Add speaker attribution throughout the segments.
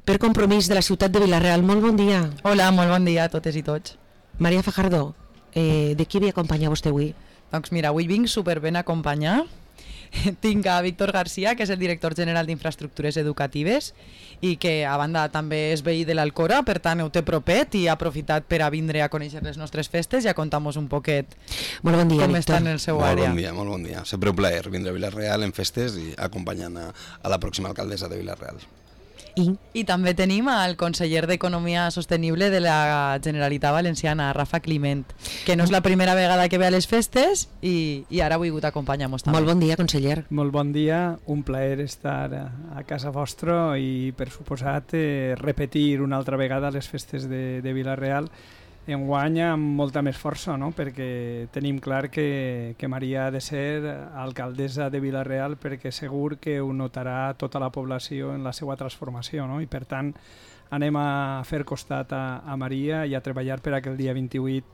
Speaker 1: per compromís de la ciutat de Vila-real. Molt bon dia.
Speaker 2: Hola, molt bon dia a totes i tots.
Speaker 1: Maria Fajardo, de qui ve acompanyar vostè avui?
Speaker 2: Doncs mira, avui vinc superben acompanyar. Tinc a Víctor García, que és el director general d'Infraestructures Educatives i que a banda també és veí de l'Alcora, per tant ho té propet i ha aprofitat per a vindre a conèixer les nostres festes i a contar-nos un poquet
Speaker 1: molt bon dia,
Speaker 2: com
Speaker 1: Víctor.
Speaker 2: està en el seu àrea.
Speaker 3: Molt bon dia. Sempre un plaer vindre a Vila-real en festes i acompanyant a la pròxima alcaldessa de Vila-real.
Speaker 2: I també tenim al conseller d'Economia Sostenible de la Generalitat Valenciana, Rafa Climent, que no és la primera vegada que ve a les festes i ara ha vingut a acompanyar-nos també.
Speaker 1: Molt bon dia, conseller.
Speaker 4: Molt bon dia, un plaer estar a casa vostra i, per suposat, repetir una altra vegada les festes de Vila-real, enguany amb molta més força, no? Perquè tenim clar que Maria ha de ser alcaldessa de Vila-real perquè segur que ho notarà tota la població en la seva transformació, no? I per tant anem a fer costat a Maria i a treballar per a que el dia 28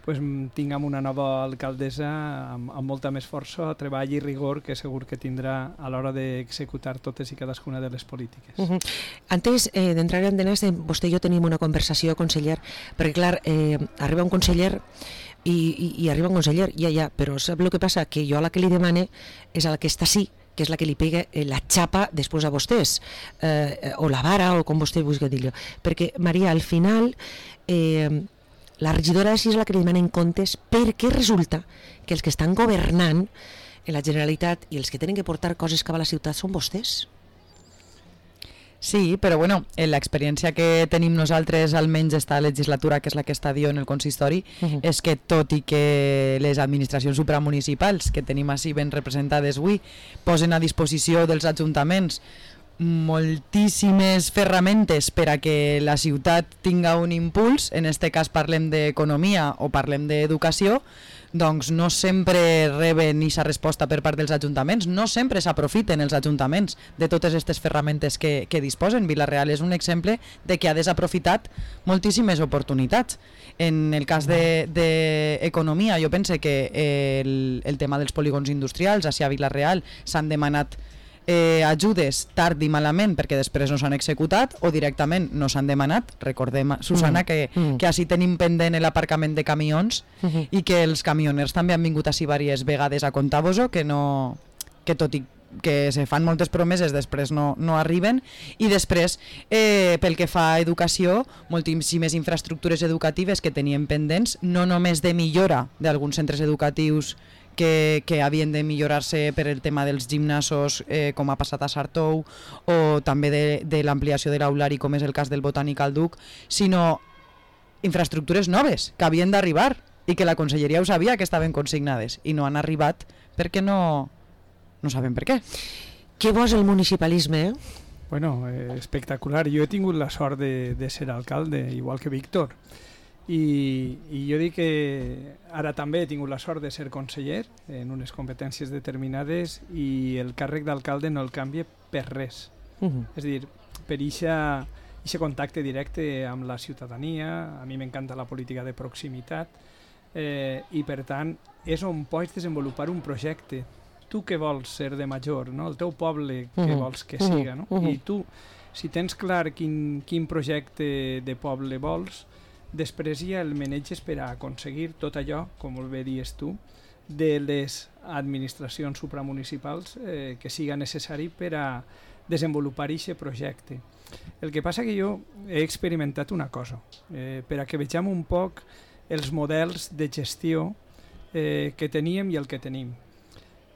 Speaker 4: pues, tinguem una nova alcaldessa amb molta més força, treball i rigor que segur que tindrà a l'hora d'executar totes i cadascuna de les polítiques.
Speaker 1: Antes d'entrar en temes, vostè i jo tenim una conversació, conseller, perquè clar, arriba un conseller i arriba un conseller, ja, però sap el que passa? Que jo a la que li demane és a la que està sí, que és la que li pega la xapa després a vostès, o la vara, o com vostè vulgui dir-ho. Perquè, Maria, al final la regidora sí és la que li demanen comptes perquè resulta que els que estan governant en la Generalitat i els que tenen que portar coses cap a la ciutat són vostès.
Speaker 2: Sí, però bueno, l'experiència que tenim nosaltres, almenys esta legislatura, que és la que està dient el consistori, és que tot i que les administracions supramunicipals que tenim així ben representades avui posen a disposició dels ajuntaments moltíssimes ferramentes per a que la ciutat tinga un impuls, en este cas parlem d'economia o parlem d'educació, doncs no sempre reben aquesta resposta per part dels ajuntaments, no sempre s'aprofiten els ajuntaments de totes aquestes ferramentes que disposen. Vila-real és un exemple de que ha desaprofitat moltíssimes oportunitats. En el cas d'economia, jo pense que el tema dels polígons industrials a Vila-real s'han demanat ajudes tard i malament perquè després no s'han executat o directament no s'han demanat. Recordem, Susana, que així tenim pendent l'aparcament de camions i que els camioners també han vingut així diverses vegades a contar-vos-ho, que tot i que se fan moltes promeses després no arriben. I després, pel que fa a educació, moltíssimes infraestructures educatives que teníem pendents, no només de millora d'alguns centres educatius que havien de millorar-se per el tema dels gimnasos, com ha passat a Sartou, o també de l'ampliació de l'aulari, com és el cas del Botànic al Duc, sinó infraestructures noves que havien d'arribar i que la conselleria ho sabia que estaven consignades i no han arribat perquè no sabem per què.
Speaker 1: Què bo és el municipalisme,
Speaker 4: Bueno, espectacular. Jo he tingut la sort de ser alcalde, igual que Víctor. I jo dic que ara també he tingut la sort de ser conseller en unes competències determinades i el càrrec d'alcalde no el canvia per res. És a dir, per aquest contacte directe amb la ciutadania, a mi m'encanta la política de proximitat i per tant és on pots desenvolupar un projecte. Tu què vols ser de major, no? El teu poble què vols que siga, no? I tu, si tens clar quin projecte de poble vols, després ja el maneges per a aconseguir tot allò, com molt bé dius tu, de les administracions supramunicipals que siga necessari per a desenvolupar aquest projecte. El que passa que jo he experimentat una cosa, per a que vegem un poc els models de gestió que teníem i el que tenim.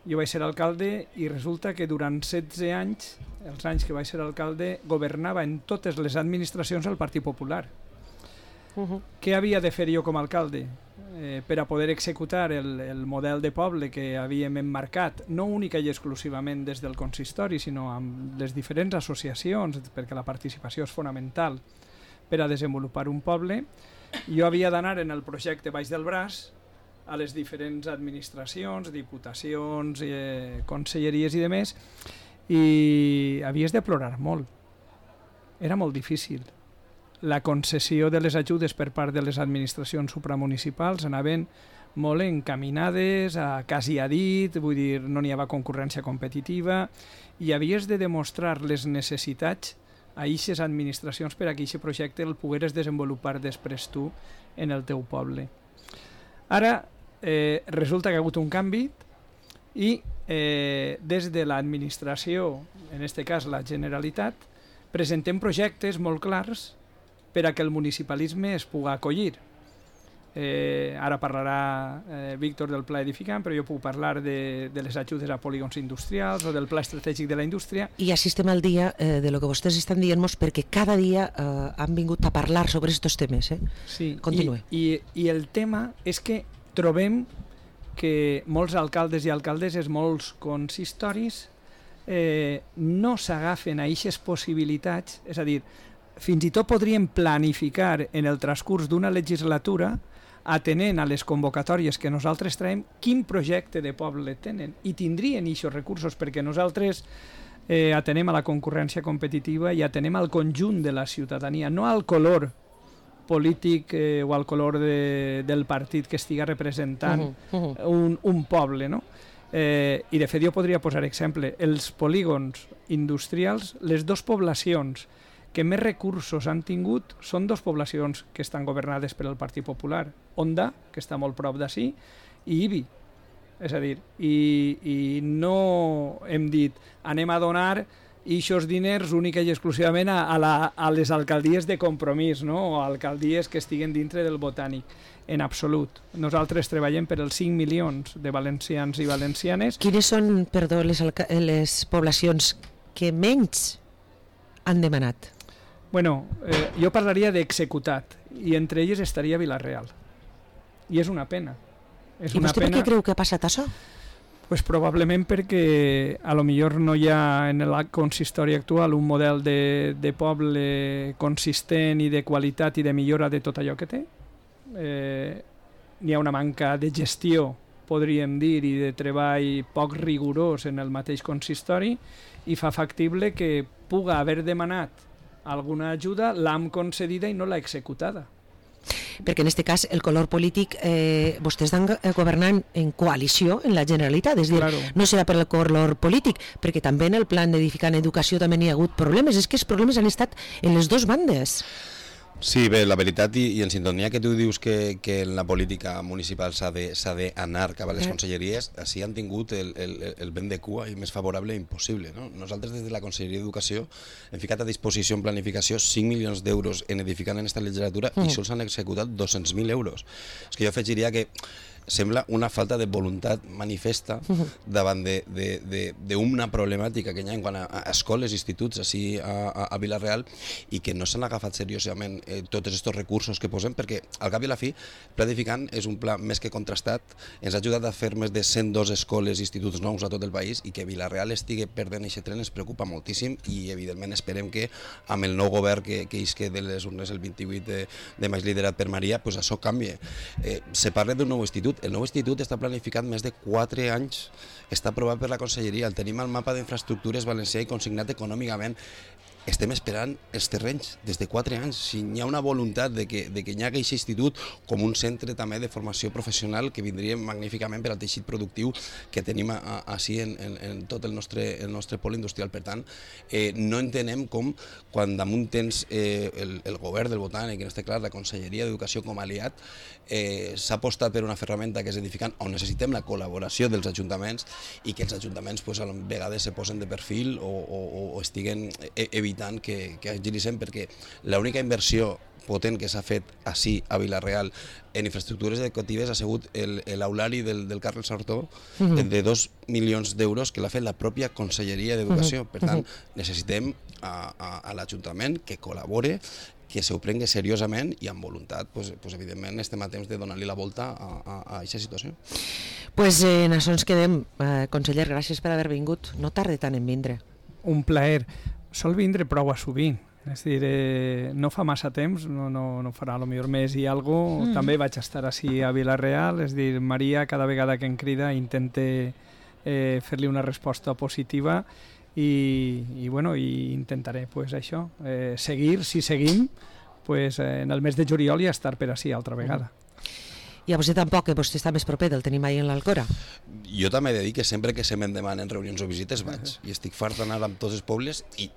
Speaker 4: Jo vaig ser alcalde i resulta que durant 16 anys, els anys que vaig ser alcalde, governava en totes les administracions el Partit Popular. Què havia de fer jo com a alcalde per a poder executar el model de poble que havíem emmarcat, no única i exclusivament des del consistori, sinó amb les diferents associacions, perquè la participació és fonamental per a desenvolupar un poble. Jo havia d'anar en el projecte baix del braç a les diferents administracions, diputacions, conselleries i demés, i havies de plorar molt. Era molt difícil. La concessió de les ajudes per part de les administracions supramunicipals anaven molt encaminades a quasi a dit, vull dir, no n'hi havia concurrència competitiva i havies de demostrar les necessitats a eixes administracions per a que aquest projecte el pogueres desenvolupar després tu en el teu poble. Ara resulta que ha hagut un canvi i des de l'administració, en aquest cas la Generalitat, presentem projectes molt clars per a que el municipalisme es pugui acollir. Ara parlarà Víctor del pla edificant, però jo puc parlar de les ajudes a polígons industrials o del pla estratègic de la indústria.
Speaker 1: I així estem al dia de lo que vostès estan dient-nos, perquè cada dia han vingut a parlar sobre aquests temes.
Speaker 4: Sí,
Speaker 1: continue.
Speaker 4: I el tema és que trobem que molts alcaldes i alcaldesses, molts consistoris, no s'agafen a aquestes possibilitats, és a dir, fins i tot podríem planificar en el transcurs d'una legislatura, atenent a les convocatòries que nosaltres traiem, quin projecte de poble tenen, i tindrien aquests recursos, perquè nosaltres atenem a la concurrència competitiva i atenem al conjunt de la ciutadania, no al color polític o al color del partit que estiga representant un poble, no? I de fet jo podria posar exemple, els polígons industrials, les dues poblacions que més recursos han tingut són dues poblacions que estan governades per el Partit Popular, Onda, que està molt prop d'ací, i Ibi. És a dir, i no hem dit anem a donar aquests diners única i exclusivament a les alcaldies de compromís, no? O alcaldies que estiguen dintre del botànic. En absolut. Nosaltres treballem per els 5 milions de valencians i valencianes.
Speaker 1: Quines són, perdó, les poblacions que menys han demanat?
Speaker 4: Bueno, jo parlaria d'executat, i entre elles estaria Vila-real. I és una pena.
Speaker 1: I vostè per què creu que ha passat això?
Speaker 4: Pues probablement perquè a lo millor no hi ha en el consistori actual un model de poble consistent i de qualitat i de millora de tot allò que té. N'hi ha una manca de gestió, podríem dir, i de treball poc rigorós en el mateix consistori, i fa factible que puga haver demanat alguna ajuda, l'hem concedida i no l'ha executada.
Speaker 1: Perquè en aquest cas el color polític vostès estan governant en coalició en la Generalitat, és a dir,
Speaker 4: Claro.
Speaker 1: no serà per el color polític, perquè també en el plan d'edificar en educació també n'hi ha hagut problemes, és que els problemes han estat en les dues bandes.
Speaker 3: Sí, bé, la veritat, i en sintonia que tu dius que en la política municipal s'ha d'anar cap a les conselleries, així han tingut el vent de cua i més favorable impossible. No? Nosaltres des de la Conselleria d'Educació hem ficat a disposició en planificació 5 milions d'euros en edificant en aquesta legislatura i sols han executat 200.000 euros. És que jo afegiria que sembla una falta de voluntat manifesta davant d'una problemàtica que hi ha en quant a escoles i instituts així a Vila-real i que no s'han agafat seriosament tots aquests recursos que posem, perquè al cap i a la fi el pla edificant és un pla més que contrastat, ens ha ajudat a fer més de 102 escoles i instituts nous a tot el país, i que Vila-real estigui perdent aquest tren ens preocupa moltíssim, i evidentment esperem que amb el nou govern que isque de les urnes el 28 de maig liderat per Maria, pues això canvie. Se parla d'un nou institut. El nou institut està planificat més de 4 anys, està aprovat per la Conselleria, el tenim al mapa d'infraestructures valencià i consignat econòmicament. Estem esperant els terrenys des de 4 anys. Si hi ha una voluntat de que hi hagi aquest institut com un centre també de formació professional que vindria magníficament per al teixit productiu que tenim així en tot el nostre pol industrial. Per tant, no entenem com quan damunt tens el govern del Botànic, en este clar la Conselleria d'Educació com a aliat, s'ha apostat per una ferramenta que és edificant, on necessitem la col·laboració dels ajuntaments, i que els ajuntaments a vegades se posen de perfil o estiguen evitant que agilitzen, perquè l'única inversió potent que s'ha fet així a Vila-real en infraestructures educatives ha sigut l'aulari del Carles Sartó de 2 milions d'euros que l'ha fet la pròpia Conselleria d'Educació. Per tant, necessitem a l'Ajuntament que col·labore, que s'ho prengui seriosament i amb voluntat, evidentment estem a temps de donar-li la volta a aquesta situació.
Speaker 1: Pues en això ens quedem. Conseller, gràcies per haver vingut. No tarde tant en vindre.
Speaker 4: Un plaer. Sol vindre prou a sovint. És a dir, no fa massa temps, no farà potser més i alguna cosa. També vaig estar així a Vila-real, és a dir, Maria cada vegada que em crida intente fer-li una resposta positiva i intentaré això, seguir, si seguim, en el mes de juliol i estar per així altra vegada.
Speaker 1: I a vostè tampoc, que vostè està més proper del tenim ahir en l'Alcora.
Speaker 3: Jo també he de dir que sempre que se me'n demanen reunions o visites vaig, i estic fart d'anar amb tots els pobles, i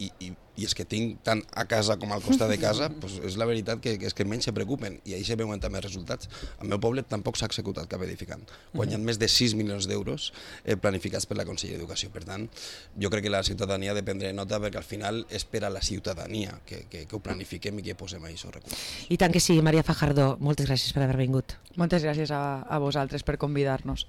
Speaker 3: és que tinc tant a casa com al costat de casa, pues és la veritat que és que menys se preocupen, i ahir se veuen també resultats. Al meu poble tampoc s'ha executat cap edificant, quan hi ha més de 6 milions d'euros planificats per la Conselleria d'Educació. Per tant, jo crec que la ciutadania ha de prendre nota, perquè al final és per a la ciutadania que ho planifiquem i que posem ahí aquests recursos.
Speaker 1: I tant que sí, Maria Fajardo, moltes gràcies per haver vingut.
Speaker 2: Moltes gràcies a vosaltres per convidar-nos.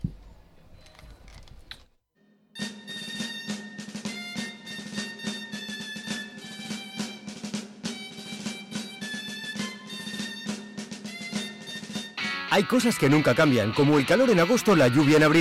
Speaker 5: Hay cosas que nunca cambian, como el calor en agosto, la lluvia en abril.